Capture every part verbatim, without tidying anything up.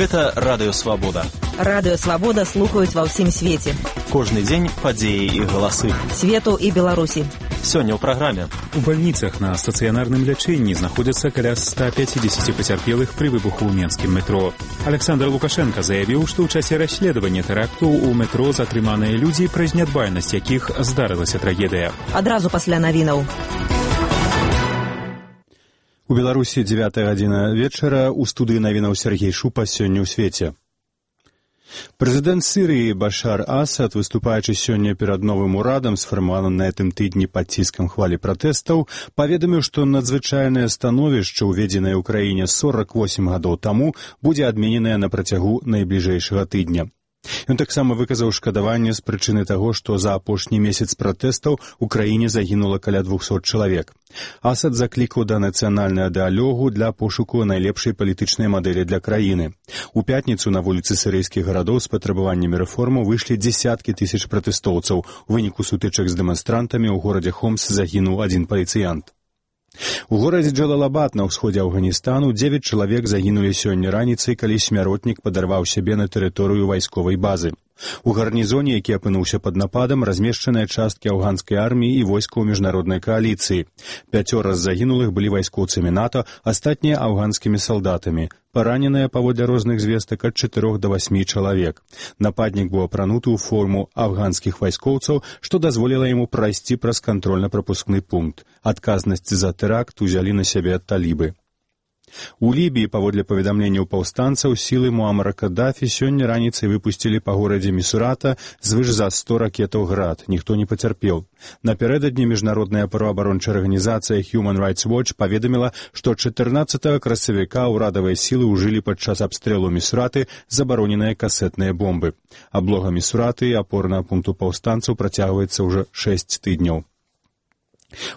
Гэта Радыё Свабода. Радыё Свабода слухаюць ва ўсім свеце. Кожны дзень падзеі і галасы. Свету і Беларусі. Сёння ў праграме. У бальніцах на стацыянарным лячэнні знаходзяцца каля ста пяцідзесяці пацярпелых пры выбуху ў менскім метро. Александр Лукашенко заявіў, што ў часе расследавання тэракту ў метро затрыманыя людзі, праз нядбайнасць якіх здарылася трагедыя. Адразу пасля навінаў. У Беларусі дзевятая гадзіна вечара, у студыі навінаў Сергей Шупа. Сёння ў свеце. Прэзідэнт Сірыі Башар Асад, выступаючы сёння перад новым урадам, сфармаваным на гэтым тыдні пад ціскам хвалі пратэстаў, паведаміў, што надзвычайнае становішча, уведзенае ў краіне сорак восем гадоў таму, будзе адмененае на працягу найбліжэйшага тыдня. Ён таксама выказаў шкадаванне з прычыны таго, што за апошні месяц пратэстаў у краіне загінула каля двухсот чалавек. Асад заклікаў да нацыянальнага дыалогу для пошуку найлепшай палітычнай мадэлі для краіны. У пятніцу на вуліцы сірыйскіх гарадоў з патрабаваннямі рэформаў выйшлі дзесяткі тысяч пратэстоўцаў. У выніку сутычак з дэманстрантамі ў горадзе Хомс загінуў адзін паліцыянт. У горадзе Джалалабад на ўсходзе Афганістану дзевяць чалавек загінулі сёння раніцай, калі смяротнік падарваў сябе на тэрыторыю вайсковай базы. У гарнізоне, які апынуўся пад нападам, размешчаныя часткі афганскай арміі і войскаў міжнароднай кааліцыі. Пяцёра з загінулых былі вайскоўцамі НАТО, астатнія афганскімі салдатамі. Параненыя, паводле розных звестак, ад чатырох да васьмі чалавек. Нападнік быў апрануты ў форму афганскіх вайскоўцаў, што дазволіла яму прайсці праз кантрольна-прапускны пункт. Адказнасць за тэракт узялі на сябе талібы. У Лібіі, паводле паведамленняў паўстанцаў, сілы Муамара Каддафі сёння раніцай выпусцілі па горадзе Місурата звыш за сто ракетаў град. Ніхто не пацярпеў. Напярэдадні міжнародная праваабарончая арганізацыя Human Rights Watch паведаміла, што чатырнаццатага красавіка ўрадавыя сілы ўжылі падчас абстрэлу Місураты забароненыя касетныя бомбы. Аблога Місураты, апорнага пункту паўстанцаў, працягваецца ўжо шэсць тыдняў.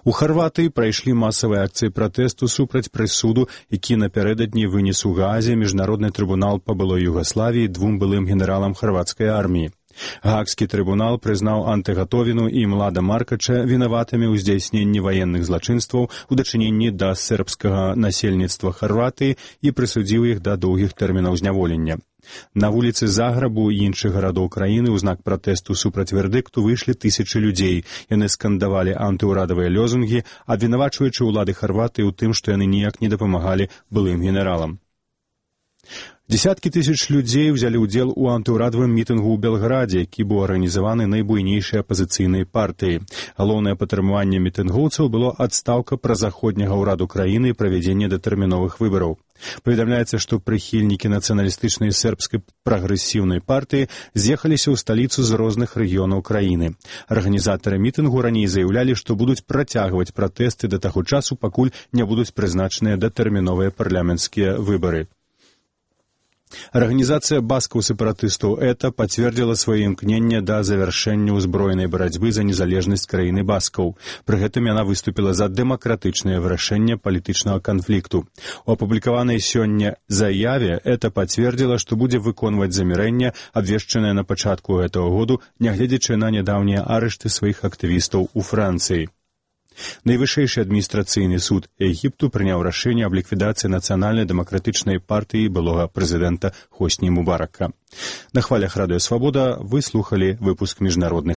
У Харватыі прайшлі масавыя акцыі пратэсту супраць прысуду, які напярэдадні вынес у Гаазе міжнародны трыбунал па былой Югаславіі двум былым генералам харватскай арміі. Гаагскі трыбунал прызнаў Антэгатовіну і Млада Маркача вінаватымі ў здзяйсненні ваенных злачынстваў у дачыненні да сербскага насельніцтва Харватыі і прысудзіў іх да доўгіх тэрмінаў зняволення. На вуліцы Заграбу і іншых гарадоў краіны ў знак пратэсту супраць вердыкту выйшлі тысячы людзей. Яны скандавалі антыўрадавыя лёзунгі, абвінавачваючы ўлады Харватыі ў тым, што яны ніяк не дапамагалі былым генералам. Дзесяткі тысяч людзей узялі ўдзел у антыўрадавым мітынгу ў Белградзе, які быў арганізаваны найбуйнейшай апазіцыйнай партыяй. Галоўнае патрабаванне мітынгоўцаў было адстаўка празаходняга ўраду краіны і правядзенне датэрміновых выбараў. Паведамляецца, што прыхільнікі нацыяналістычнай сербскай прагрэсіўнай партыі з'ехаліся ў сталіцу з розных рэгіёнаў краіны. Арганізатары мітынгу раней заяўлялі, што будуць працягваць пратэсты да таго часу, пакуль не будуць прызначаныя датэрміновыя парламенцкія выбары. Арганізацыя баскаў-сепаратыстаў ЭТА пацвердзіла сваё імкненне да завяршэння ўзброенай барацьбы за незалежнасць краіны баскаў. Пры гэтым яна выступіла за дэмакратычнае вырашэнне палітычнага канфлікту. У апублікаванай сёння заяве ЭТА пацвердзіла, што будзе выконваць замірэнне, абвешчанае на пачатку гэтага году, нягледзячы на нядаўнія арышты сваіх актывістаў у Францыі. Найвышэйшы адміністрацыйны суд Егіпту прыняў рашэнне аб ліквідацыі нацыянальнай дэмакратычнай партыі былога прэзідэнта Хосні Мубарака. На хвалях Радыё Свабода вы слухалі выпуск міжнародных